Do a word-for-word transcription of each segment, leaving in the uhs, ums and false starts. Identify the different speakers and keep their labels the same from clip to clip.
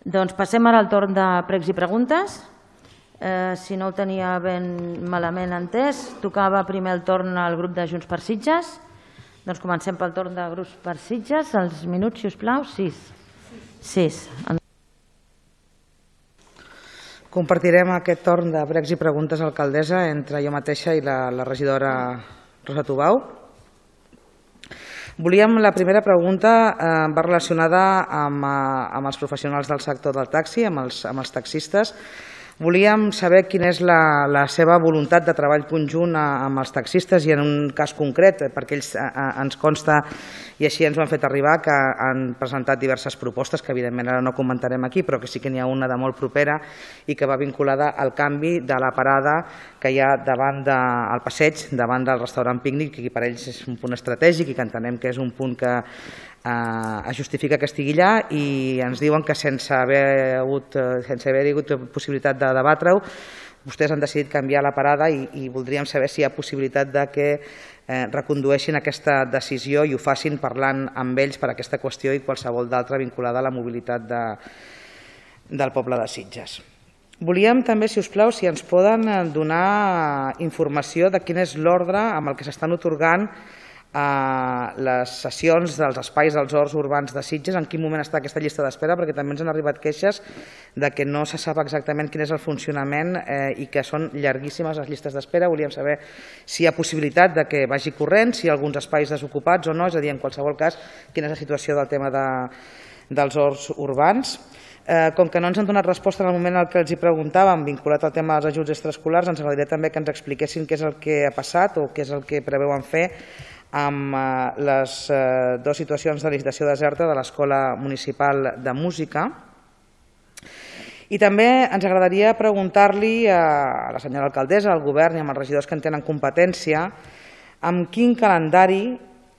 Speaker 1: Doncs passem ara al torn de pregs i preguntes. Si no ho tenia ben malament entès, tocava primer el torn al grup de Junts per Sitges. Doncs comencem pel torn de grups per Sitges. Els minuts, si us plau, sis. Sis.
Speaker 2: Compartirem aquest torn de pregs i preguntes a l'alcaldessa entre jo mateixa i la, la regidora Rosa Tubau. Volíem, la primera pregunta eh, va relacionada amb, eh, amb els professionals del sector del taxi, amb els, amb els taxistes. Volíem saber quina és la, la seva voluntat de treball conjunt amb els taxistes i en un cas concret, perquè ells a, a, ens consta, i així ens ho han fet arribar, que han presentat diverses propostes, que evidentment ara no comentarem aquí, però que sí que n'hi ha una de molt propera i que va vinculada al canvi de la parada que hi ha davant del passeig, davant del restaurant Pícnic, que per ells és un punt estratègic i que entenem que és un punt que eh, es justifica que estigui allà, i ens diuen que sense haver hagut, sense haver hagut possibilitat de debatre-ho, vostès han decidit canviar la parada i, i voldríem saber si hi ha possibilitat de que eh, recondueixin aquesta decisió i ho facin parlant amb ells per aquesta qüestió i qualsevol d'altra vinculada a la mobilitat de, del poble de Sitges. Volíem també, si us plau, si ens poden donar informació de quin és l'ordre amb el que s'estan atorgant a les sessions dels espais dels horts urbans de Sitges, en quin moment està aquesta llista d'espera, perquè també ens han arribat queixes de que no se sap exactament quin és el funcionament eh, i que són llarguíssimes les llistes d'espera. Volíem saber si hi ha possibilitat de que vagi corrent, si hi ha alguns espais desocupats o no, és a dir, en qualsevol cas, quina és la situació del tema de, dels horts urbans. Eh, com que no ens han donat resposta en el moment en què els hi preguntàvem, vinculat al tema dels ajuts extraescolars, ens agradaria també que ens expliquessin què és el que ha passat o què és el que preveuen fer amb les dues situacions de licitació deserta de l'Escola Municipal de Música. I també ens agradaria preguntar-li a la senyora alcaldessa, al govern i als regidors que en tenen competència, amb quin calendari,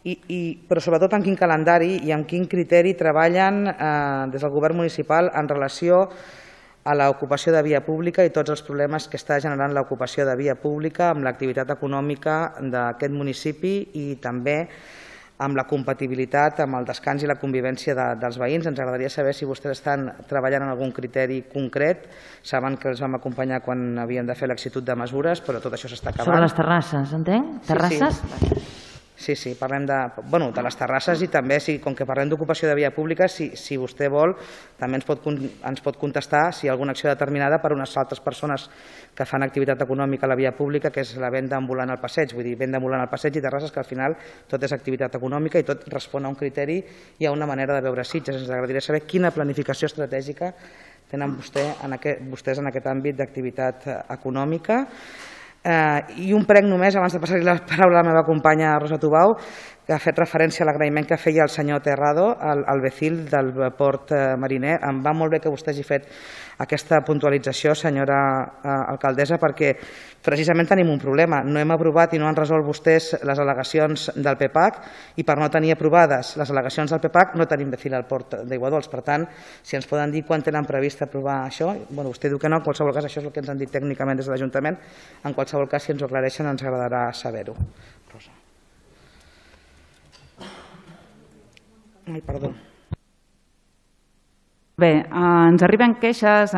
Speaker 2: i, i, però sobretot amb quin calendari i amb quin criteri treballen eh, des del govern municipal en relació a l'ocupació de via pública i tots els problemes que està generant l'ocupació de via pública amb l'activitat econòmica d'aquest municipi i també amb la compatibilitat amb el descans i la convivència de, dels veïns. Ens agradaria saber si vostès estan treballant en algun criteri concret. Saben que els vam acompanyar quan havien de fer l'exitud de mesures, però tot això s'està acabant.
Speaker 1: Sobre les terrasses, entenc? Terrasses?
Speaker 2: Sí, sí. Sí, sí, parlem de, bueno, de les terrasses i també, si, com que parlem d'ocupació de via pública, si, si vostè vol, també ens pot, ens pot contestar si hi ha alguna acció determinada per unes altres persones que fan activitat econòmica a la via pública, que és la venda ambulant al passeig, vull dir, venda ambulant al passeig i terrasses, que al final tot és activitat econòmica i tot respon a un criteri i a una manera de veure Sitges. Ens agradaria saber quina planificació estratègica tenen vostè en aquest, vostès en aquest àmbit d'activitat econòmica. I un prec només, abans de passar-li la paraula a la meva companya Rosa Tubau, que ha fet referència a l'agraïment que feia el senyor Terrado, el vecil del port mariner. Em va molt bé que vostè hagi fet aquesta puntualització, senyora alcaldessa, perquè precisament tenim un problema. No hem aprovat i no han resolt vostès les al·legacions del P PAC i per no tenir aprovades les al·legacions del P PAC no tenim vecil al port d'Aiguadols. Per tant, si ens poden dir quan tenen previst aprovar això, bueno, vostè diu que no, en qualsevol cas això és el que ens han dit tècnicament des de l'Ajuntament. En qualsevol cas, si ens ho aclareixen, ens agradarà saber-ho. Rosa. Ai, perdó.
Speaker 3: Bé, ens arriben queixes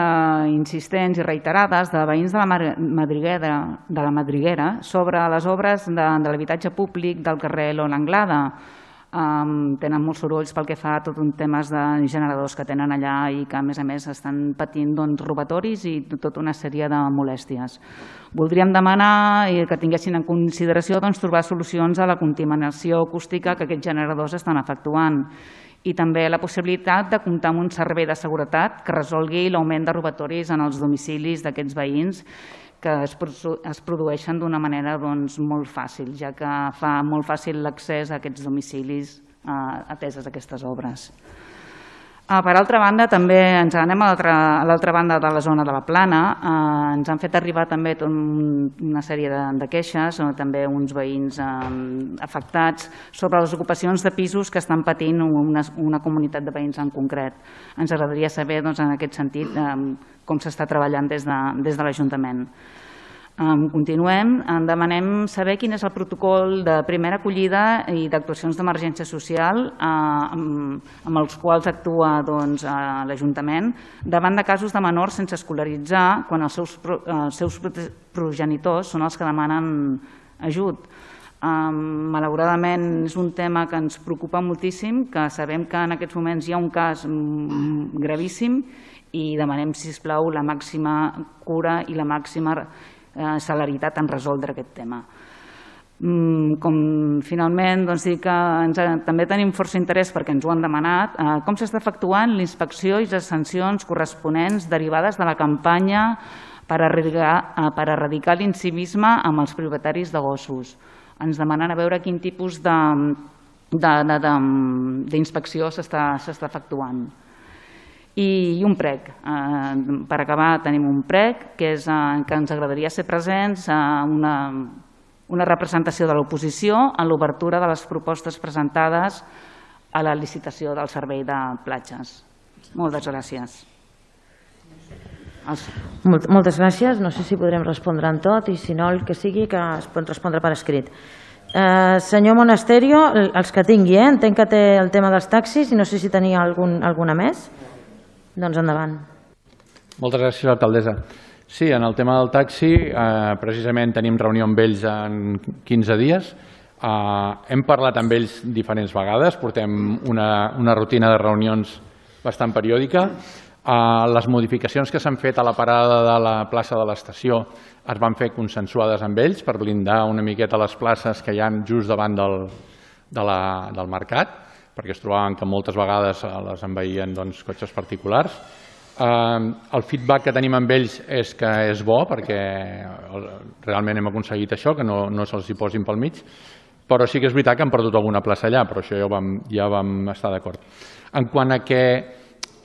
Speaker 3: insistents i reiterades de veïns de la Madriguera, de la Madriguera sobre les obres de, de l'habitatge públic del carrer Lola Anglada. Um, tenen molts sorolls pel que fa a tot un temes de generadors que tenen allà i que a més a més estan patint doncs, robatoris i tota una sèrie de molèsties. Voldríem demanar que tinguessin en consideració doncs, trobar solucions a la contaminació acústica que aquests generadors estan efectuant i també la possibilitat de comptar amb un servei de seguretat que resolgui l'augment de robatoris en els domicilis d'aquests veïns que es, es produeixen d'una manera doncs, molt fàcil, ja que fa molt fàcil l'accés a aquests domicilis eh, ateses aquestes obres. Ah, per altra banda, també ens anem a l'altra banda de la zona de la Plana. Eh, ens han fet arribar també tot un, una sèrie de, de queixes, o també uns veïns eh, afectats sobre les ocupacions de pisos que estan patint una, una comunitat de veïns en concret. Ens agradaria saber doncs, en aquest sentit eh, com s'està treballant des de, des de l'Ajuntament. Continuem. Demanem saber quin és el protocol de primera acollida i d'actuacions d'emergència social amb els quals actua l'Ajuntament davant de casos de menors sense escolaritzar quan els seus progenitors són els que demanen ajut. Malauradament és un tema que ens preocupa moltíssim, que sabem que en aquests moments hi ha un cas gravíssim i demanem, sisplau, la màxima cura i la màxima celeritat en resoldre aquest tema. Com finalment dir que també tenim força interès perquè ens ho han demanat, com s'està efectuant l'inspecció i les sancions corresponents derivades de la campanya per erradicar l'incivisme amb els propietaris de gossos. Ens demanen a veure quin tipus d'inspecció s'està efectuant. I un prec. Per acabar tenim un prec que ens agradaria ser presents a una representació de l'oposició en l'obertura de les propostes presentades a la licitació del servei de platges. Moltes gràcies.
Speaker 1: Moltes gràcies. No sé si podrem respondre en tot i si no el que sigui que es pot respondre per escrit. Senyor Monasterio, els que tingui, entenc que té el tema dels taxis i no sé si tenia alguna més. Doncs endavant.
Speaker 4: Moltes gràcies, alcaldessa. Sí, en el tema del taxi, precisament tenim reunió amb ells en quinze dies. Hem parlat amb ells diferents vegades, portem una rutina de reunions bastant periòdica. Les modificacions que s'han fet a la parada de la plaça de l'estació es van fer consensuades amb ells per blindar una miqueta les places que hi ha just davant del mercat, perquè es trobaven que moltes vegades les envaïen cotxes particulars. El feedback que tenim amb ells és que és bo, perquè realment hem aconseguit això, que no se'ls hi posin pel mig, però sí que és veritat que han perdut alguna plaça allà, però això ja vam estar d'acord. En quant a que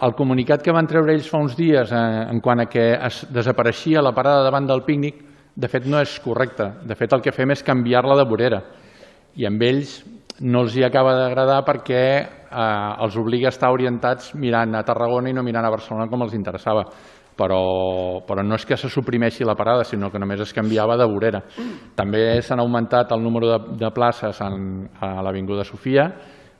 Speaker 4: el comunicat que van treure ells fa uns dies, en quant a que es desapareixia la parada davant del pícnic, de fet no és correcte. De fet el que fem és canviar-la de vorera i amb ells no els hi acaba d'agradar perquè els obliga a estar orientats mirant a Tarragona i no mirant a Barcelona com els interessava. Però no és que se suprimeixi la parada, sinó que només es canviava de vorera. També s'han augmentat el número de places a l'Avinguda Sofia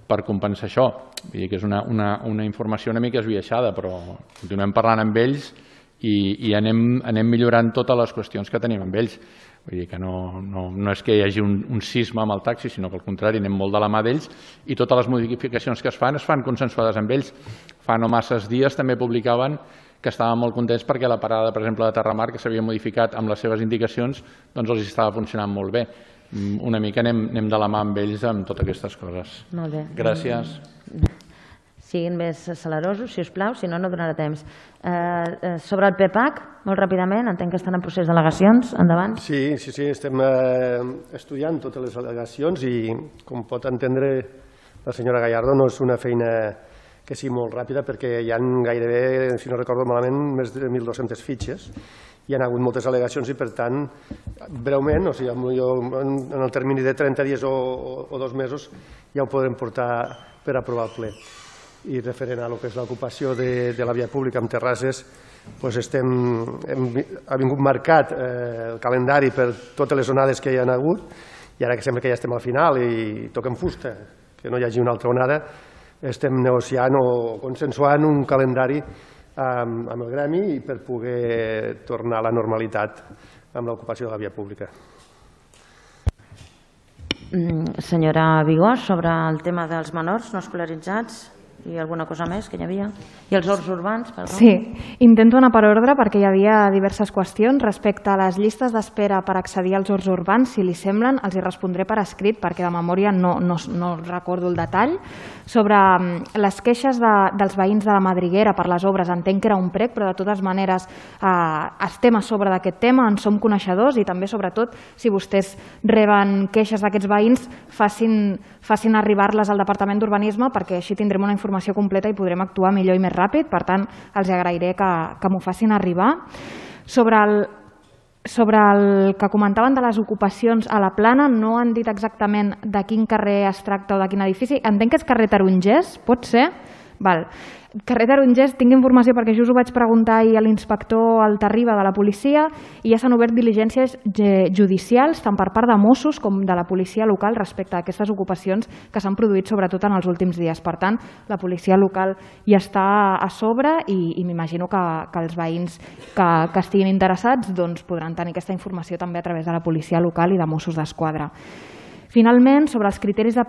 Speaker 4: per compensar això. Vull dir que és una informació una mica esbiaixada, però continuem parlant amb ells i anem millorant totes les qüestions que tenim amb ells. Vull dir que no és que hi hagi un cisma amb el taxi, sinó que al contrari, anem molt de la mà d'ells i totes les modificacions que es fan es fan consensuades amb ells. Fa no masses dies també publicaven que estaven molt contents perquè la parada, per exemple, de Terramar, que s'havia modificat amb les seves indicacions, doncs els estava funcionant molt bé. Una mica anem de la mà amb ells amb totes aquestes coses.
Speaker 1: Molt bé.
Speaker 4: Gràcies.
Speaker 1: Siguin més acelerosos, si us plau, si no, no donarà temps. Sobre el P P A C, molt ràpidament, entenc que estan en procés d'al·legacions. Endavant.
Speaker 5: Sí, sí, sí, estem estudiant totes les al·legacions i, com pot entendre la senyora Gallardo, no és una feina que sigui molt ràpida perquè hi ha gairebé, si no recordo malament, més de mil dues-centes fitxes. Hi ha hagut moltes al·legacions i, per tant, breument, o sigui, en el termini de trenta dies o dos mesos ja ho podrem portar per aprovar el ple. I referent a lo que és l'ocupació de la via pública amb terrasses, ha vingut marcat el calendari per totes les onades que hi ha hagut i ara que sembla que ja estem al final i toquem fusta, que no hi hagi una altra onada, estem negociant o consensuant un calendari amb el gremi i per poder tornar a la normalitat amb l'ocupació de la via pública.
Speaker 1: Senyora Vigós, sobre el tema dels menors no escolaritzats i alguna cosa més que hi havia? I els horts urbans, perdó.
Speaker 6: Sí, intento anar per ordre perquè hi havia diverses qüestions respecte a les llistes d'espera per accedir als horts urbans. Si li semblen, els hi respondré per escrit perquè de memòria no recordo el detall. Sobre les queixes dels veïns de la Madriguera per les obres, entenc que era un prec, però de totes maneres estem a sobre d'aquest tema, en som coneixedors i també, sobretot, si vostès reben queixes d'aquests veïns, facin arribar-les al Departament d'Urbanisme perquè així tindrem una informació completa i podrem actuar millor i més ràpid. Per tant, els agrairé que m'ho facin arribar. Sobre el Sobre el que comentaven de les ocupacions a la Plana, no han dit exactament de quin carrer es tracta o de quin edifici. Entenc que és carrer Tarongers, pot ser? Val. Carrer Tarongers, tinc informació perquè just ho vaig preguntar ahir a l'inspector Altarriba de la policia i ja s'han obert diligències judicials tant per part de Mossos com de la policia local respecte a aquestes ocupacions que s'han produït sobretot en els últims dies. Per tant, la policia local ja està a sobre i, i m'imagino que, que els veïns que, que estiguin interessats doncs, podran tenir aquesta informació també a través de la policia local i de Mossos d'Esquadra. Finalment, sobre els criteris de,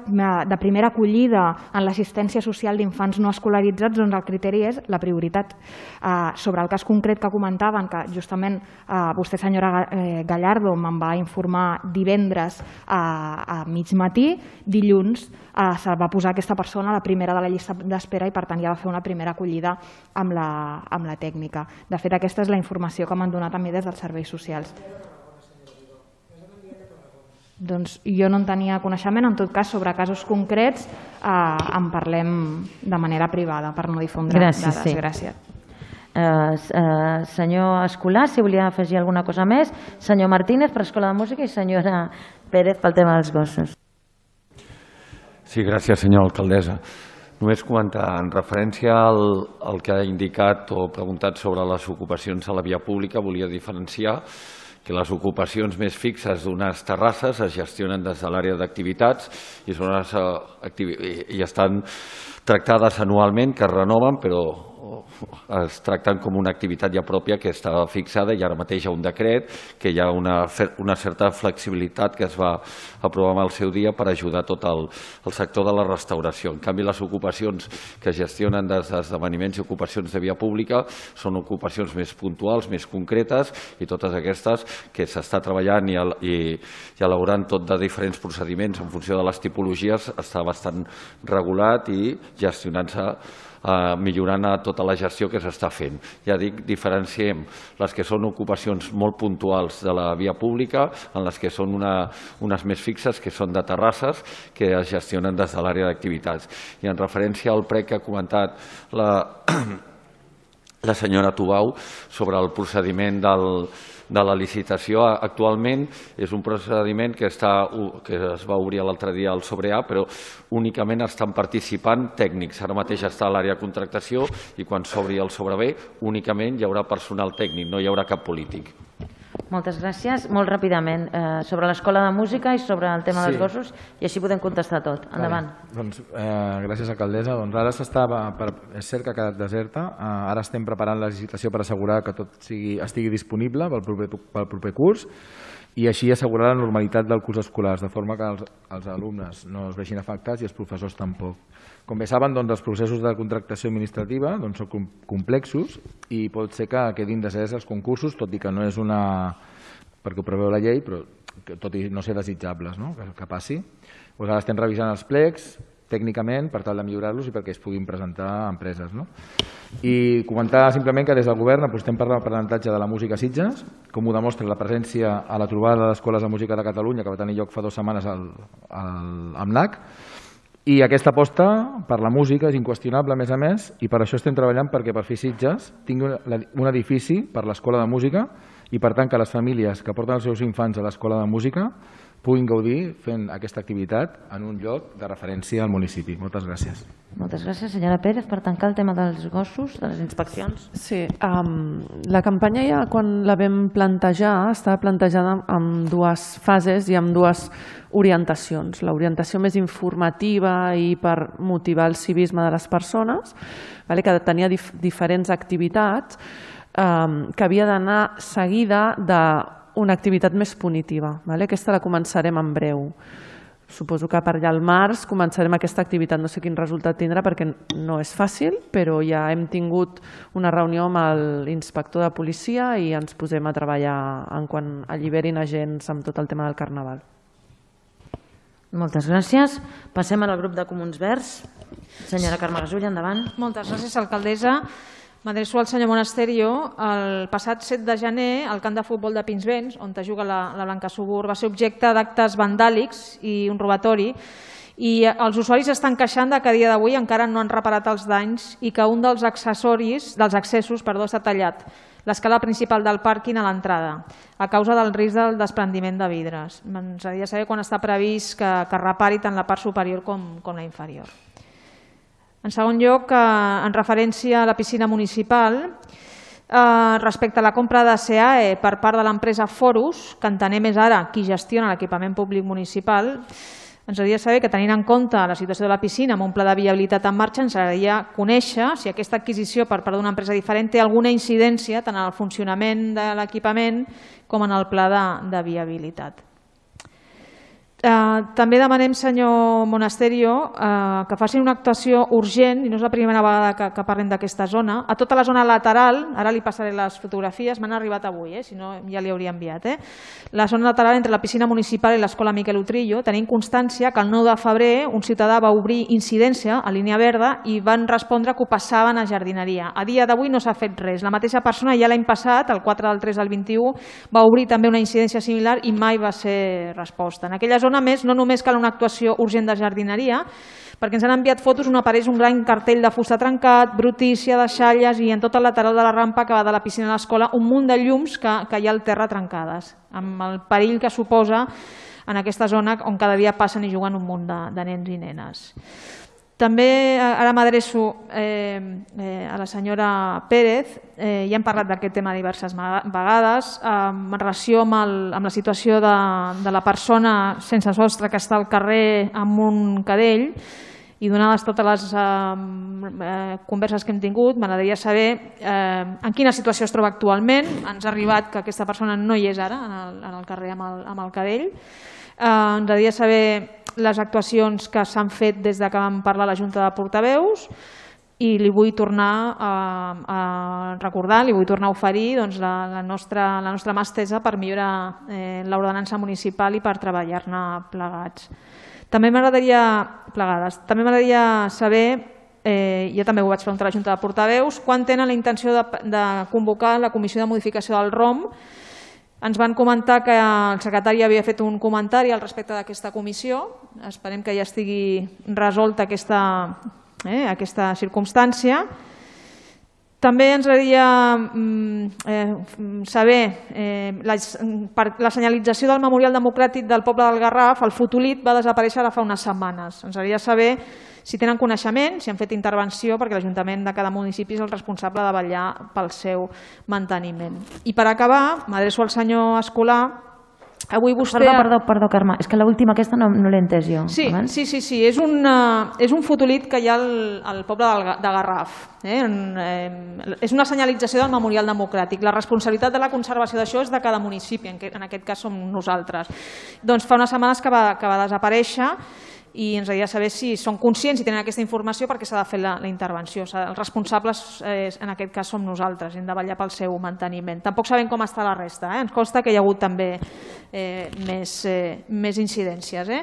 Speaker 6: de primera acollida en l'assistència social d'infants no escolaritzats, doncs el criteri és la prioritat. Eh, sobre el cas concret que comentaven, que justament eh, vostè, senyora Gallardo, me'n va informar divendres a, a mig matí, dilluns eh, se va posar aquesta persona a la primera de la llista d'espera i per tant ja va fer una primera acollida amb la, amb la tècnica. De fet, aquesta és la informació que m'han donat a mi des dels serveis socials. Doncs jo no en tenia coneixement, en tot cas sobre casos concrets eh, en parlem de manera privada per no difondre
Speaker 1: Gràcies,
Speaker 6: dades.
Speaker 1: sí.
Speaker 6: Gràcies.
Speaker 1: Eh, eh, senyor Escolà, si volia afegir alguna cosa més, senyor Martínez per Escola de Música i senyora Pérez pel tema dels gossos.
Speaker 7: Sí, gràcies, senyora alcaldessa. Només comentar, en referència al, al que ha indicat o preguntat sobre les ocupacions a la via pública, volia diferenciar que les ocupacions més fixes d'unes terrasses es gestionen des de l'àrea d'activitats i, són unes, i estan tractades anualment, que es renoven, però es tracten com una activitat ja pròpia que està fixada i ara mateix hi ha un decret que hi ha una, una certa flexibilitat que es va aprovar al seu dia per ajudar tot el, el sector de la restauració. En canvi, les ocupacions que es gestionen des d'esdeveniments i ocupacions de via pública són ocupacions més puntuals, més concretes i totes aquestes que s'està treballant i, i, i elaborant tot de diferents procediments en funció de les tipologies està bastant regulat i gestionant-se Uh, millorant a tota la gestió que s'està fent. Ja dic, diferenciem les que són ocupacions molt puntuals de la via pública en les que són una, unes més fixes, que són de terrasses, que es gestionen des de l'àrea d'activitats. I en referència al prec que ha comentat la, la senyora Tubau sobre el procediment del de la licitació, actualment és un procediment que, està, que es va obrir l'altre dia al sobre A, però únicament estan participant tècnics. Ara mateix està a l'àrea de contractació i quan s'obri el sobre B únicament hi haurà personal tècnic, no hi haurà cap polític.
Speaker 1: Moltes gràcies. Molt ràpidament, eh, sobre l'Escola de Música i sobre el tema dels
Speaker 8: Sí.
Speaker 1: gossos, i així podem contestar tot. Endavant.
Speaker 8: Vale. Doncs, eh, gràcies, alcaldessa. Doncs ara s'estava, per, és cert que ha quedat deserta. Eh, ara estem preparant la licitació per assegurar que tot sigui, estigui disponible pel proper, pel proper curs i així assegurar la normalitat del curs escolar, de forma que els, els alumnes no es vegin afectats i els professors tampoc. Com bé saben, doncs, els processos de contractació administrativa doncs, són complexos i pot ser que quedin deserts els concursos, tot i que no és una... perquè ho preveu la llei, però que, tot i no ser desitjables, no? que, que passi. Doncs ara estem revisant els plecs tècnicament per tal de millorar-los i perquè es puguin presentar a empreses. No? I comentar simplement que des del govern apostem per l'aprenentatge de la música a Sitges, com ho demostra la presència a la trobada d'Escoles de Música de Catalunya que va tenir lloc fa dues setmanes al, al, al M N A C, i aquesta aposta per la música és inqüestionable, a més a més, i per això estem treballant perquè per fi Sitges tingui un edifici per l'Escola de Música i, per tant, que les famílies que porten els seus infants a l'Escola de Música puguin gaudir fent aquesta activitat en un lloc de referència al municipi. Moltes gràcies.
Speaker 1: Moltes gràcies. Senyora Pérez, per tancar el tema dels gossos, de les inspeccions.
Speaker 9: Sí, um, la campanya ja quan la vam plantejar estava plantejada amb dues fases i amb dues orientacions. L'orientació més informativa i per motivar el civisme de les persones, vale, que tenia dif diferents activitats um, que havia d'anar seguida d'una activitat més punitiva. Vale? Aquesta la començarem en breu. Suposo que per allà al març començarem aquesta activitat. No sé quin resultat tindrà perquè no és fàcil, però ja hem tingut una reunió amb l'inspector de policia i ens posem a treballar en quan alliberin agents amb tot el tema del Carnaval.
Speaker 1: Moltes gràcies. Passem al grup de Comuns Verds. Senyora Carme Gasull, endavant.
Speaker 10: Moltes gràcies, alcaldessa. M'adreço al senyor Monasterio. El passat set de gener, el camp de futbol de Pinsbens, on juga la, la Blanca Subur, va ser objecte d'actes vandàlics i un robatori. I els usuaris estan queixant que a dia d'avui encara no han reparat els danys i que un dels accessoris, dels accessos perdó, està tallat, l'escala principal del pàrquing a l'entrada, a causa del risc del desprendiment de vidres. Ens agradaria saber quan està previst que, que repari tant la part superior com, com la inferior. En segon lloc, en referència a la piscina municipal, respecte a la compra de C A E per part de l'empresa Forus, que entenem és ara qui gestiona l'equipament públic municipal, ens agradaria saber que, tenint en compte la situació de la piscina amb un pla de viabilitat en marxa, ens agradaria conèixer si aquesta adquisició per part d'una empresa diferent té alguna incidència tant en el funcionament de l'equipament com en el pla de, de viabilitat. Uh, també demanem, senyor Monasterio, uh, que facin una actuació urgent, i no és la primera vegada que, que parlem d'aquesta zona, a tota la zona lateral, ara li passaré les fotografies, m'han arribat avui, eh, si no ja li hauria enviat, eh? La zona lateral entre la piscina municipal i l'escola Miquel Utrillo, tenim constància que el nou de febrer un ciutadà va obrir incidència a línia verda i van respondre que ho passaven a jardineria. A dia d'avui no s'ha fet res. La mateixa persona ja l'any passat, el quatre del tres del vint-i-u, va obrir també una incidència similar i mai va ser resposta. En aquella zona, a més, no només cal una actuació urgent de jardineria, perquè ens han enviat fotos on apareix un gran cartell de fusta trencat, brutícia, deixalles i en tot el lateral de la rampa que va de la piscina a l'escola un munt de llums que, que hi ha al terra trencades, amb el perill que suposa en aquesta zona on cada dia passen i juguen un munt de, de nens i nenes. També ara m'adreço eh, eh, a la senyora Pérez, eh, ja hem parlat d'aquest tema diverses vegades, eh, en relació amb, el, amb la situació de, de la persona sense sostre que està al carrer amb un cadell, i donades totes les eh, eh, converses que hem tingut, m'agradaria saber eh, en quina situació es troba actualment. Ens ha arribat que aquesta persona no hi és ara en el, en el carrer amb el, amb el cadell. Eh, ens agradaria saber les actuacions que s'han fet des que vam parlar a la Junta de Portaveus i li vull tornar a, a recordar, li vull tornar a oferir doncs, la, la, nostra, la nostra mà estesa per millorar eh, l'ordenança municipal i per treballar-ne plegats. També m'agradaria plegades. També m'agradaria saber, eh, jo també ho vaig preguntar a la Junta de Portaveus, quan tenen la intenció de, de convocar la comissió de modificació del R O M. Ens van comentar que el secretari havia fet un comentari al respecte d'aquesta comissió. Esperem que ja estigui resolta aquesta, eh, aquesta circumstància. També ens agradaria eh, saber eh, la, per la senyalització del Memorial Democràtic del Poble del Garraf, el fotolit va desaparèixer ara fa unes setmanes. Ens agradaria saber si tenen coneixement, si han fet intervenció, perquè l'Ajuntament de cada municipi és el responsable de vetllar pel seu manteniment. I per acabar, m'adreço al senyor Escolà. Avui vostè...
Speaker 1: Perdó, perdó, perdó, Carme, és que l'última aquesta no, no l'he entès jo.
Speaker 10: Sí, sí, sí, sí. És, un, uh, és un fotolit que hi ha al, al poble del, de Garraf. Eh? En, eh, és una senyalització del Memorial Democràtic. La responsabilitat de la conservació d'això és de cada municipi, en, que, en aquest cas som nosaltres. Doncs fa unes setmanes que va, que va desaparèixer i ens agradaria saber si són conscients i tenen aquesta informació perquè s'ha de fer la, la intervenció. Els responsables, eh, en aquest cas, som nosaltres, hem de vetllar pel seu manteniment. Tampoc sabem com està la resta, eh? Ens consta que hi ha hagut també eh, més, eh, més incidències. Eh?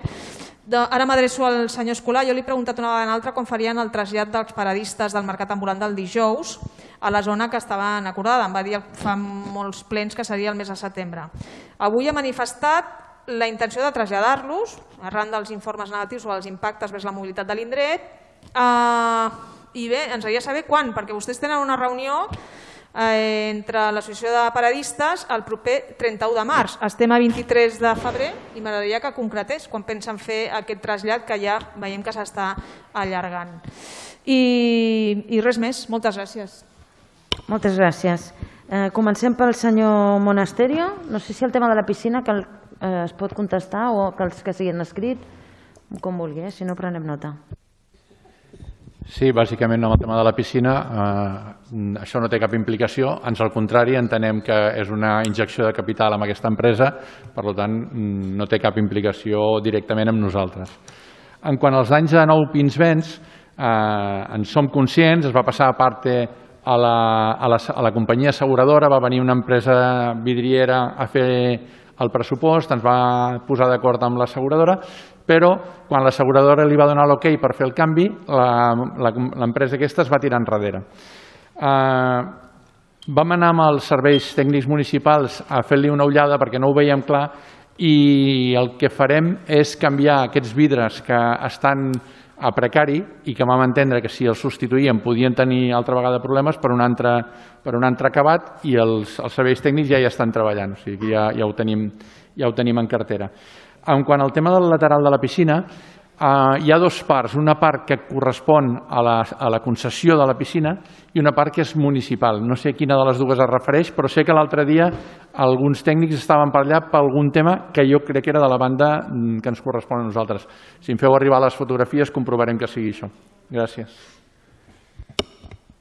Speaker 10: De, ara m'adreço al senyor Escolà. Jo li he preguntat una vegada en altra com farien el trasllat dels paradistes del mercat ambulant del dijous a la zona que estava acordada. Em va dir fa molts plens que seria el mes de setembre. Avui ha manifestat la intenció de traslladar-los, arran dels informes negatius sobre els impactes vers la mobilitat de l'indret. Uh, I bé, ens agradaria saber quan, perquè vostès tenen una reunió eh, entre l'Associació de Paradistes el proper trenta-u de març. Estem a vint-i-tres de febrer i m'agradaria que concretés quan pensen fer aquest trasllat que ja veiem que s'està allargant. I, I res més. Moltes gràcies.
Speaker 1: Moltes gràcies. Eh, comencem pel senyor Monasterio. No sé si el tema de la piscina que el Eh, es pot contestar o que els que siguin escrit, com vulgui, eh? Si no prenem nota.
Speaker 4: Sí, bàsicament amb el tema de la piscina eh, això no té cap implicació, ans al contrari, entenem que és una injecció de capital amb aquesta empresa, per tant no té cap implicació directament amb nosaltres. En quant als danys de Nou Pinsbens, eh, en som conscients, es va passar a part a la, a, la, a la companyia asseguradora, va venir una empresa vidriera a fer el pressupost, ens va posar d'acord amb l'asseguradora, però quan l'asseguradora li va donar l'ok per fer el canvi, l'empresa aquesta es va tirar enrere. Eh, vam anar amb els serveis tècnics municipals a fer-li una ullada perquè no ho veiem clar i el que farem és canviar aquests vidres que estan a precari i que vam entendre que si els substituïen podien tenir altra vegada problemes per un altre, per un altre acabat i els, els serveis tècnics ja hi estan treballant, o sigui que ja, ja, ho tenim, ja ho tenim en cartera. En quant al tema del lateral de la piscina, hi ha dues parts, una part que correspon a la, a la concessió de la piscina i una part que és municipal. No sé quina de les dues es refereix, però sé que l'altre dia alguns tècnics estaven per allà per algun tema que jo crec que era de la banda que ens correspon a nosaltres. Si em feu arribar les fotografies comprovarem que sigui això. Gràcies.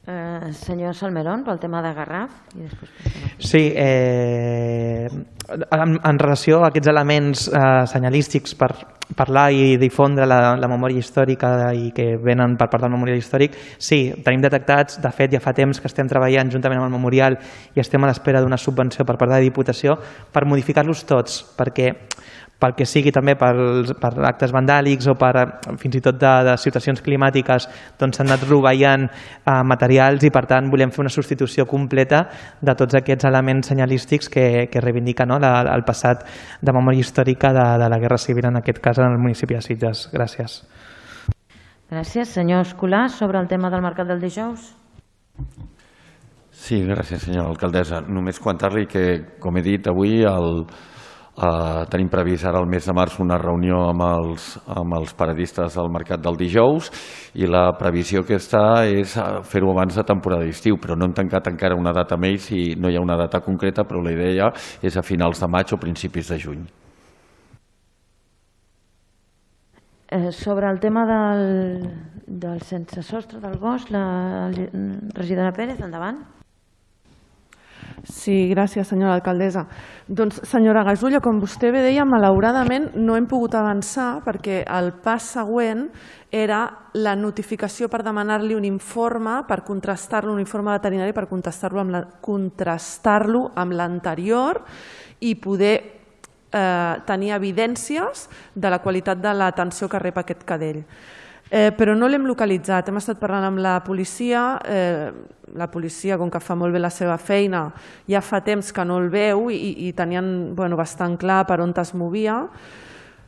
Speaker 1: Eh, senyor Salmerón, pel tema de Garraf. I després...
Speaker 11: Sí, eh, en, en relació a aquests elements eh, senyalístics per parlar i difondre la, la memòria històrica i que venen per part del memorial històric, sí, tenim detectats, de fet ja fa temps que estem treballant juntament amb el memorial i estem a l'espera d'una subvenció per part de la Diputació per modificar-los tots, perquè pel que sigui també pels, per actes vandàlics o per fins i tot de, de situacions climàtiques doncs s'han anat rovellant eh, materials i per tant volem fer una substitució completa de tots aquests elements senyalístics que, que reivindiquen, no, la, el passat de memòria històrica de, de la Guerra Civil, en aquest cas en el municipi de Sitges. Gràcies.
Speaker 1: Gràcies. Senyor Escolà, sobre el tema del mercat del dijous.
Speaker 7: Sí, gràcies, senyora alcaldessa. Només comentar-li que, com he dit, avui el Uh, tenim previst ara al mes de març una reunió amb els, amb els paradistes del mercat del dijous i la previsió que està és fer-ho abans de temporada d'estiu, però no hem tancat encara una data amb ells i no hi ha una data concreta, però la idea és a finals de maig o principis de juny.
Speaker 1: Eh, sobre el tema del, del sense sostre del bosc, la regidora Pérez, endavant.
Speaker 9: Sí, gràcies, senyora alcaldessa. Doncs, senyora Gasulla, com vostè bé deia, malauradament no hem pogut avançar perquè el pas següent era la notificació per demanar-li un informe, per contrastar-lo, un informe veterinari per contrastar-lo amb la, contrastar-lo amb l'anterior i poder eh, tenir evidències de la qualitat de l'atenció que rep aquest cadell. Eh, però no l'hem localitzat, hem estat parlant amb la policia, eh, la policia, com que fa molt bé la seva feina, ja fa temps que no el veu i, i tenien bueno, bastant clar per on es movia.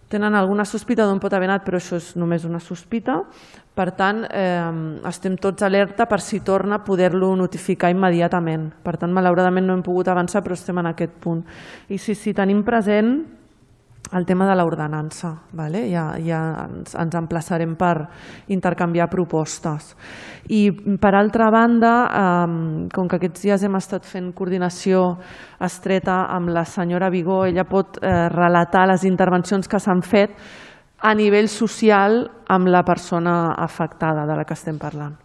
Speaker 9: Tenen alguna sospita d'on pot haver anat, però això és només una sospita. Per tant, eh, estem tots alerta per si torna a poder-lo notificar immediatament. Per tant, malauradament no hem pogut avançar, però estem en aquest punt. I sí, sí, tenim present el tema de l'ordenança, vale? ja, ja ens, ens emplaçarem per intercanviar propostes. I per altra banda, eh, com que aquests dies hem estat fent coordinació estreta amb la senyora Vigó, ella pot eh, relatar les intervencions que s'han fet a nivell social amb la persona afectada de la que estem parlant.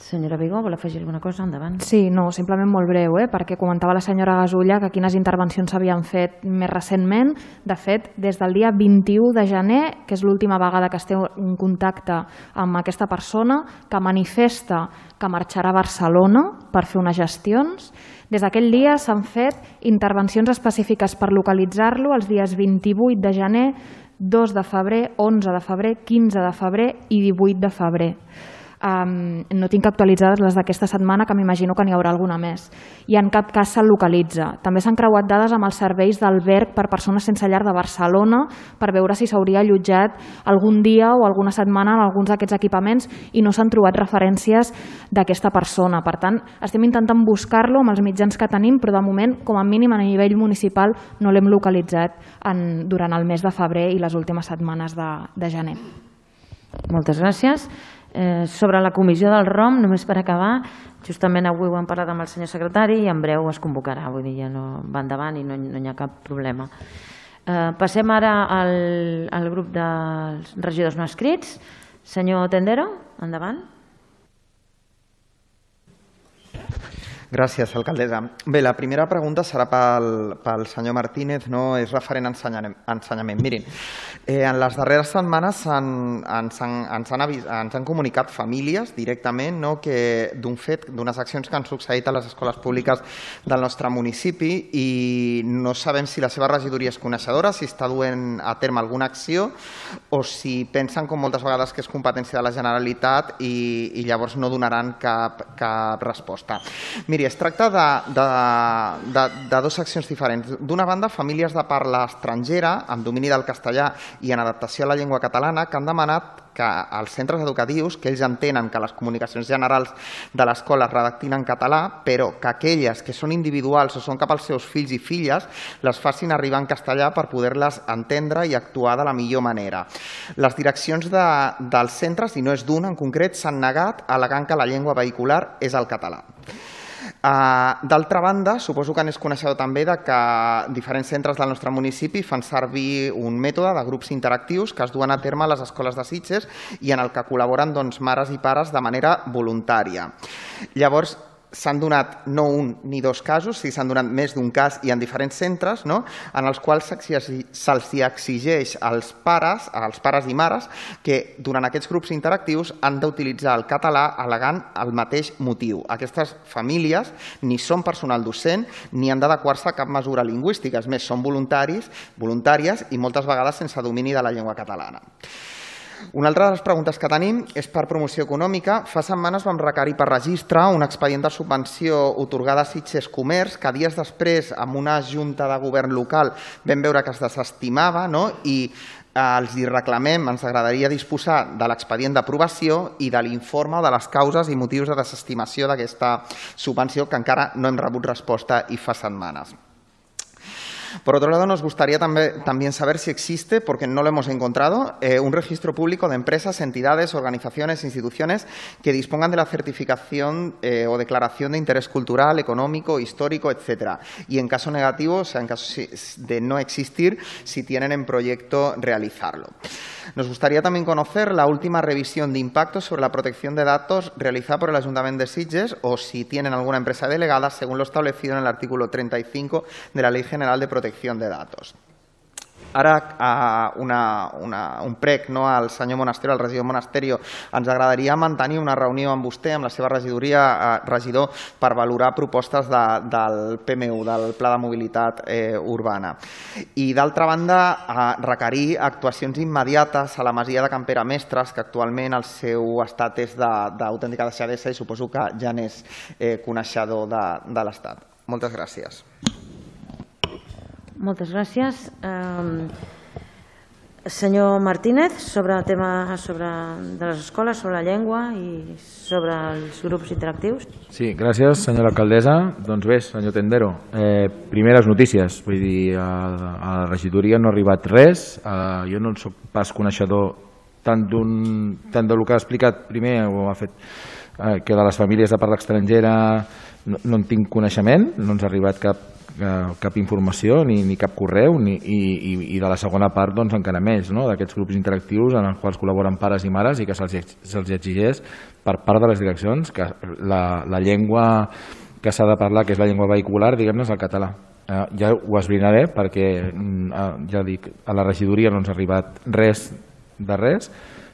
Speaker 1: Senyora Vigó, vol afegir alguna cosa? Endavant.
Speaker 6: Sí, no, simplement molt breu, eh? perquè comentava la senyora Gasulla que quines intervencions s'havien fet més recentment. De fet, des del dia vint-i-u de gener, que és l'última vegada que esteu en contacte amb aquesta persona, que manifesta que marxarà a Barcelona per fer unes gestions, des d'aquell dia s'han fet intervencions específiques per localitzar-lo els dies vint-i-vuit de gener, dos de febrer, onze de febrer, quinze de febrer i divuit de febrer. Um, no tinc actualitzades les d'aquesta setmana, que m'imagino que n'hi haurà alguna més. I en cap cas se'l localitza. També s'han creuat dades amb els serveis d'alberg per persones sense llar de Barcelona per veure si s'hauria allotjat algun dia o alguna setmana en alguns d'aquests equipaments i no s'han trobat referències d'aquesta persona. Per tant, estem intentant buscar-lo amb els mitjans que tenim, però de moment, com a mínim a nivell municipal, no l'hem localitzat en, durant el mes de febrer i les últimes setmanes de, de gener.
Speaker 1: Moltes gràcies. Eh, sobre la comissió del R O M, només per acabar, justament avui ho hem parlat amb el senyor secretari i en breu es convocarà, vull dir, ja no va endavant i no, no hi ha cap problema. Eh, passem ara al, al grup dels regidors no escrits. Senyor Tendero, endavant.
Speaker 12: Gràcies, alcaldessa. Bé, la primera pregunta serà pel, pel senyor Martínez, no? És referent a ensenyament. ensenyament. Mirin, eh, en les darreres setmanes han, ens, han, ens, han avis, ens han comunicat famílies directament, no? Que d'un fet, d'unes accions que han succeït a les escoles públiques del nostre municipi i no sabem si la seva regidoria és coneixedora, si està duent a terme alguna acció o si pensen, com moltes vegades, que és competència de la Generalitat i, i llavors no donaran cap, cap resposta. Miri, es tracta de, de, de, de dues accions diferents. D'una banda, famílies de parla estrangera, amb domini del castellà i en adaptació a la llengua catalana, que han demanat que els centres educatius, que ells entenen que les comunicacions generals de l'escola es redactin en català, però que aquelles que són individuals o són cap als seus fills i filles les facin arribar en castellà per poder-les entendre i actuar de la millor manera. Les direccions de, dels centres, i no és d'un en concret, s'han negat al·legant que la llengua vehicular és el català. Uh, D'altra banda, suposo que n'és coneixedor també de que diferents centres del nostre municipi fan servir un mètode de grups interactius que es duen a terme a les escoles de Sitges i en el que col·laboren doncs, mares i pares de manera voluntària. Llavors, s'han donat no un ni dos casos, si s'han donat més d'un cas i en diferents centres, no? En els quals se'ls exigeix als pares, als pares i mares que durant aquests grups interactius han d'utilitzar el català al·legant el mateix motiu. Aquestes famílies ni són personal docent ni han d'adequar-se a cap mesura lingüística, és més, són voluntaris, voluntàries i moltes vegades sense domini de la llengua catalana. Una altra de les preguntes que tenim és per promoció econòmica. Fa setmanes vam requerir per registre un expedient de subvenció otorgada a Sitges Comerç que dies després, amb una junta de govern local, vam veure que es desestimava, no? I els hi reclamem, ens agradaria disposar de l'expedient d'aprovació i de l'informe de les causes i motius de desestimació d'aquesta subvenció que encara no hem rebut resposta i fa setmanes. Por otro lado, nos gustaría también, también saber si existe, porque no lo hemos encontrado, eh, un registro público de empresas, entidades, organizaciones, instituciones que dispongan de la certificación eh, o declaración de interés cultural, económico, histórico, etcétera. Y en caso negativo, o sea, en caso de no existir, si tienen en proyecto realizarlo. Nos gustaría también conocer la última revisión de impacto sobre la protección de datos realizada por el Ayuntamiento de Sitges o si tienen alguna empresa delegada, según lo establecido en el artículo treinta y cinco de la Ley General de Protección de Datos. Ara, una, una, un prec no, al senyor Monasterio, al regidor Monasterio. Ens agradaria mantenir una reunió amb vostè, amb la seva regidoria, eh, regidor, per valorar propostes de, del P M U, del Pla de Mobilitat eh, Urbana. I d'altra banda, eh, requerir actuacions immediates a la masia de Can Pere Mestres, que actualment el seu estat és d'autèntica deixadesa i suposo que ja n'és eh, coneixedor de, de l'estat. Moltes gràcies.
Speaker 1: Moltes gràcies. Eh, senyor Martínez, sobre el tema sobre, de les escoles, sobre la llengua i sobre els grups interactius.
Speaker 8: Sí, gràcies, senyora alcaldessa. Doncs bé, senyor Tendero, eh, primeres notícies. Vull dir, a, a la regidoria no ha arribat res. Eh, jo no en soc pas coneixedor tant, tant del que ha explicat primer o ha fet eh, que de les famílies de parla estrangera no, no en tinc coneixement, no ens ha arribat cap cap informació ni, ni cap correu ni, i, i de la segona part doncs encara més, no? D'aquests grups interactius en els quals col·laboren pares i mares i que se'ls se exigeix per part de les direccions que la, la llengua que s'ha de parlar, que és la llengua vehicular, diguem-ne, és el català. Eh, ja ho esbrinaré perquè eh, ja dic, a la regidoria no ens ha arribat res de res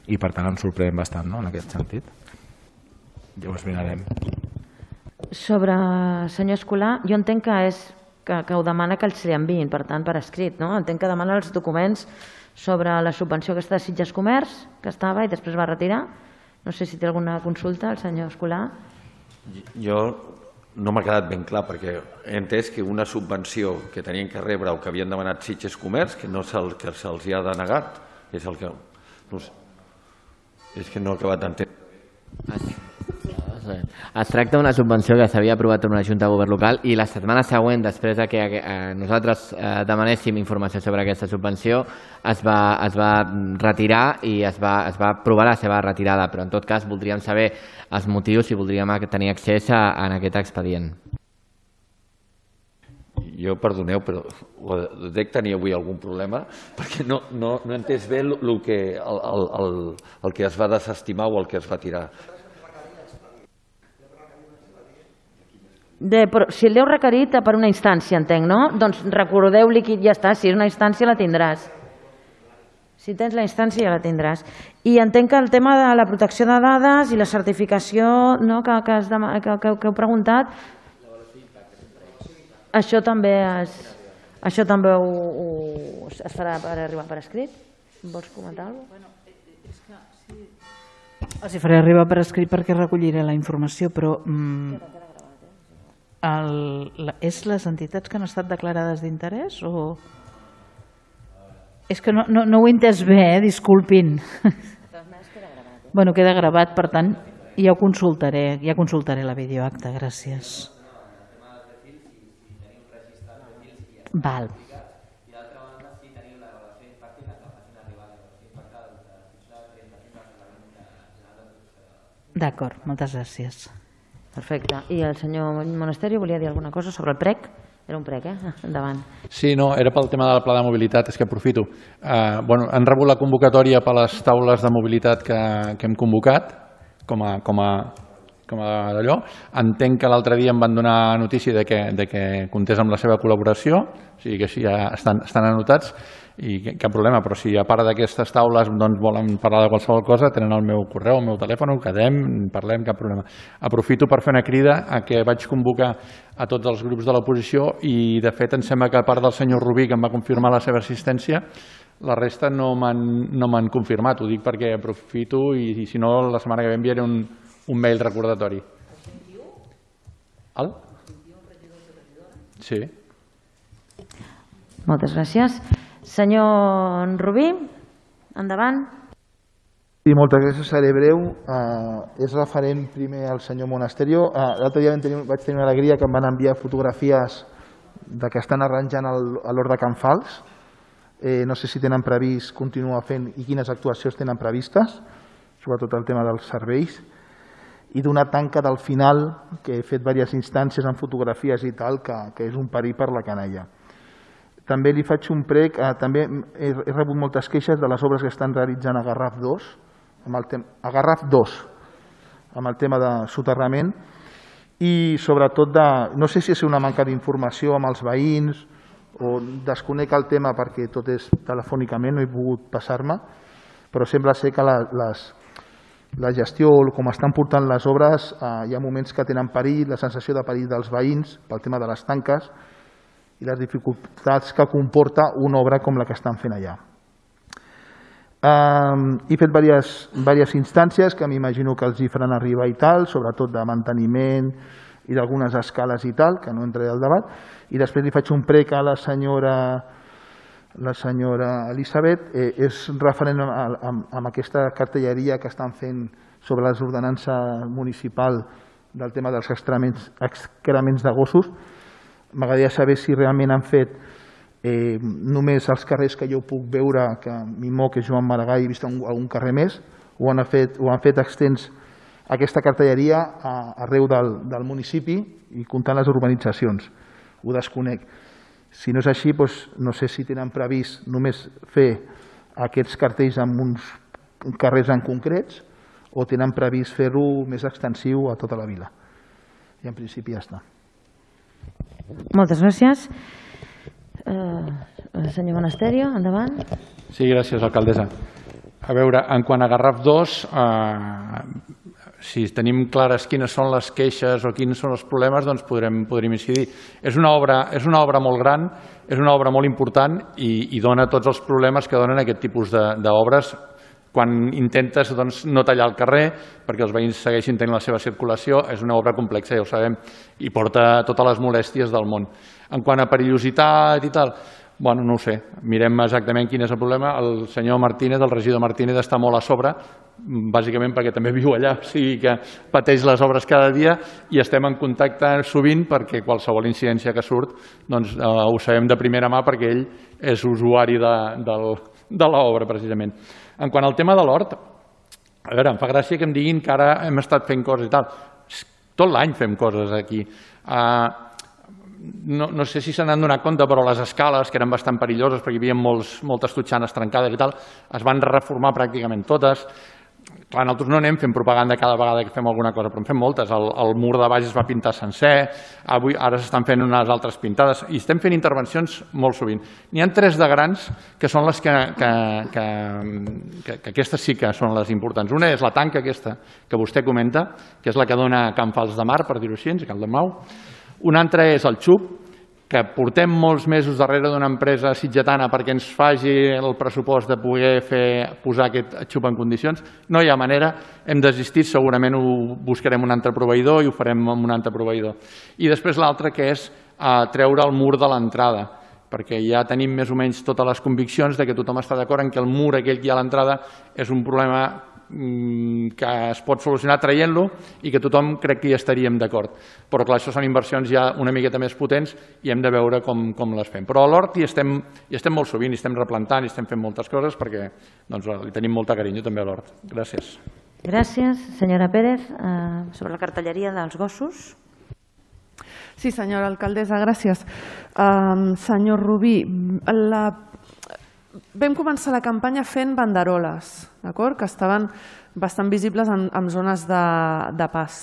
Speaker 8: i per tant ens sorprèn bastant, no? En aquest sentit. Ja ho esbrinarem.
Speaker 1: Sobre senyor Escolà, jo entenc que és Que, que ho demana que els li enviïn, per tant, per escrit. No? Entenc que demana els documents sobre la subvenció aquesta de Sitges Comerç, que estava i després va retirar. No sé si té alguna consulta el senyor Escolà.
Speaker 7: Jo no m'ha quedat ben clar, perquè he entès que una subvenció que tenien que rebre o que havien demanat Sitges Comerç, que no se'ls que se'ls hi ha denegat, és el que... No sé, és que no he acabat d'entendre.
Speaker 13: Es tracta d'una subvenció que s'havia aprovat per una junta de govern local i la setmana següent, després de que nosaltres demanéssim informació sobre aquesta subvenció, es va, es va retirar i es va, es va aprovar la seva retirada, però en tot cas voldríem saber els motius i voldríem tenir accés a, a aquest expedient.
Speaker 7: Jo, perdoneu, però dec tenir avui algun problema perquè no, no, no he entès bé el, el, que, el, el, el que es va desestimar o el que es va tirar.
Speaker 1: De, però, si el heu requerit per una instància, entenc, no? Doncs recordeu-li que ja està, si és una instància la tindràs. Si tens la instància ja la tindràs. I entenc que el tema de la protecció de dades i la certificació no, que, que, has de, que, que, que heu preguntat, això també, es, això també ho, ho, es farà per arribar per escrit? Vols comentar alguna cosa? Bueno, és que
Speaker 14: sí. Els hi faré arribar per escrit perquè recolliré la informació, però... Mm, El, la, és les entitats que han estat declarades d'interès o...? És que no, no, no ho he entès bé, eh? Disculpin. Bueno, queda gravat, per tant, ja ho consultaré, ja consultaré la videoacta, gràcies. Val. D'acord, moltes gràcies.
Speaker 1: Perfecte. I el senyor Monasterio volia dir alguna cosa sobre el prec? Era un prec, eh? Endavant.
Speaker 4: Sí, no, era pel tema del pla de mobilitat, és que aprofito. Eh, bueno, han rebut la convocatòria per les taules de mobilitat que, que hem convocat, com a, com a, com a d'allò. Entenc que l'altre dia em van donar notícia de que, de que comptés amb la seva col·laboració, o sigui que així ja estan, estan anotats, i cap problema, però si a part d'aquestes taules doncs, volen parlar de qualsevol cosa, tenen el meu correu, el meu telèfon, quedem, parlem, cap problema. Aprofito per fer una crida a que vaig convocar a tots els grups de l'oposició i, de fet, em sembla que a part del senyor Rubí, que em va confirmar la seva assistència, la resta no m'han no m'han confirmat. Ho dic perquè aprofito i, i si no, la setmana que ve enviaré un, un mail recordatori. El? Sí.
Speaker 1: Moltes gràcies. Senyor Rubí, endavant.
Speaker 15: Sí, moltes gràcies, seré breu. Uh, és referent primer al senyor Monasterio. Uh, L'altre dia tenir, vaig tenir una alegria que em van enviar fotografies de que estan arranjant el, a l'Hort de Can Fals. Eh, no sé si tenen previst continuar fent i quines actuacions tenen previstes, sobretot el tema dels serveis, i d'una tanca del final, que he fet diverses instàncies en fotografies i tal, que, que és un perill per la canalla. També li faig un prec, eh, també he, he rebut moltes queixes de les obres que estan realitzant a Garraf dos, amb el tem a Garraf dos, amb el tema de soterrament, i sobretot de, no sé si és una manca d'informació amb els veïns, o desconec el tema perquè tot és telefònicament, no he pogut passar-me, però sembla ser que la, les, la gestió, com estan portant les obres, eh, hi ha moments que tenen perill, la sensació de perill dels veïns, pel tema de les tanques, i les dificultats que comporta una obra com la que estan fent allà. Um, he fet diverses, diverses instàncies que m'imagino que els hi faran arribar i tal, sobretot de manteniment i d'algunes escales i tal, que no entraré al debat, i després li faig un prec a la senyora, la senyora Elisabet, eh, és referent a, a, a aquesta cartelleria que estan fent sobre les ordenances municipal del tema dels excrements, excrements de gossos. M'agradaria saber si realment han fet eh, només els carrers que jo puc veure, que m'hi moc és Joan Maragall, he vist algun carrer més, o han fet, o han fet extens aquesta cartelleria a, arreu del, del municipi i comptant les urbanitzacions. Ho desconec. Si no és així, doncs, no sé si tenen previst només fer aquests cartells en uns carrers en concrets o tenen previst fer-ho més extensiu a tota la vila. I en principi ja està.
Speaker 1: Moltes gràcies. Eh, senyor Monasterio, endavant.
Speaker 4: Sí, gràcies, alcaldessa. A veure, en quant a Garraf dos, eh, si tenim clares quines són les queixes o quins són els problemes, doncs podrem, podrem incidir. És una obra, és una obra molt gran, és una obra molt important i, i dona tots els problemes que donen aquest tipus d'obres quan intentes doncs, no tallar el carrer perquè els veïns segueixin tenint la seva circulació. És una obra complexa, ja ho sabem, i porta totes les molèsties del món. En quant a perillositat i tal, bueno, no ho sé, mirem exactament quin és el problema. El senyor Martínez, el regidor Martínez, està molt a sobre, bàsicament perquè també viu allà, o sigui que pateix les obres cada dia i estem en contacte sovint perquè qualsevol incidència que surt doncs, eh, ho sabem de primera mà perquè ell és usuari de, de, de l'obra, precisament. En quant al tema de l'hort, a veure, em fa gràcia que em diguin que ara hem estat fent coses i tal. Tot l'any fem coses aquí. Uh, no, no sé si se n'han donat compte, però les escales, que eren bastant perilloses perquè hi havia molts, moltes totxanes trencades i tal, es van reformar pràcticament totes. Clar, nosaltres no anem fent propaganda cada vegada que fem alguna cosa, però en fem moltes. El, el mur de baix es va pintar sencer, avui, ara s'estan fent unes altres pintades i estem fent intervencions molt sovint. N'hi ha tres de grans que són les que, que, que, que, que aquestes sí que són les importants. Una és la tanca aquesta que vostè comenta, que és la que dona a Can Fals de Mar, per dir-ho així, a Caldemau. Una altra és el xup, que portem molts mesos darrere d'una empresa sitgetana perquè ens faci el pressupost de poder fer, posar aquest xup en condicions. No hi ha manera, hem desistit, segurament ho buscarem un altre proveïdor i ho farem amb un altre proveïdor. I després l'altre, que és eh, treure el mur de l'entrada, perquè ja tenim més o menys totes les conviccions de que tothom està d'acord en que el mur aquell que hi ha a l'entrada és un problema que es pot solucionar traient-lo i que tothom crec que hi estaríem d'acord. Però clar, això són inversions ja una miqueta més potents i hem de veure com, com les fem. Però a l'hort hi estem, hi estem molt sovint, hi estem replantant, hi estem fent moltes coses perquè doncs, li tenim molta carinyo també a l'hort. Gràcies.
Speaker 1: Gràcies. Senyora Pérez, eh, sobre la cartelleria dels gossos.
Speaker 9: Sí, senyora alcaldessa, gràcies. Um, senyor Rubí, la vam començar la campanya fent banderoles, que estaven bastant visibles en, en zones de, de pas.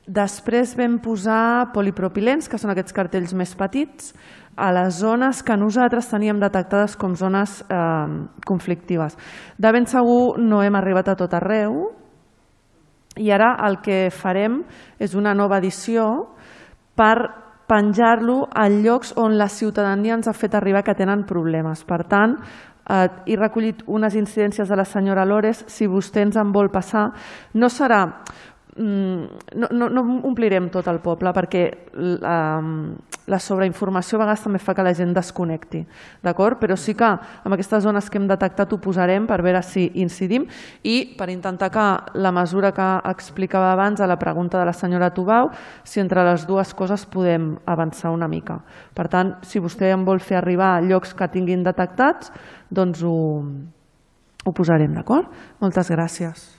Speaker 9: Després vam posar polipropilens, que són aquests cartells més petits, a les zones que nosaltres teníem detectades com zones eh, conflictives. De ben segur no hem arribat a tot arreu i ara el que farem és una nova edició per penjar-lo a llocs on la ciutadania ens ha fet arribar que tenen problemes. Per tant, eh, he recollit unes incidències de la senyora Lores. Si vostè ens en vol passar, no serà... No, no, no omplirem tot el poble perquè la, la sobreinformació a vegades també fa que la gent desconnecti, d'acord? Però sí que en aquestes zones que hem detectat ho posarem per veure si incidim i per intentar que la mesura que explicava abans a la pregunta de la senyora Tubau, si entre les dues coses podem avançar una mica. Per tant, si vostè em vol fer arribar a llocs que tinguin detectats, doncs ho, ho posarem, d'acord? Moltes gràcies.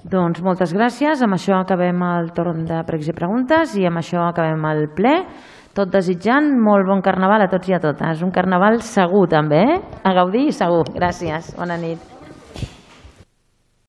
Speaker 1: Doncs moltes gràcies. Amb això acabem el torn de pregs i preguntes i amb això acabem el ple. Tot desitjant molt bon carnaval a tots i a totes. Un carnaval segur també, eh? A gaudir i segur. Gràcies. Bona nit.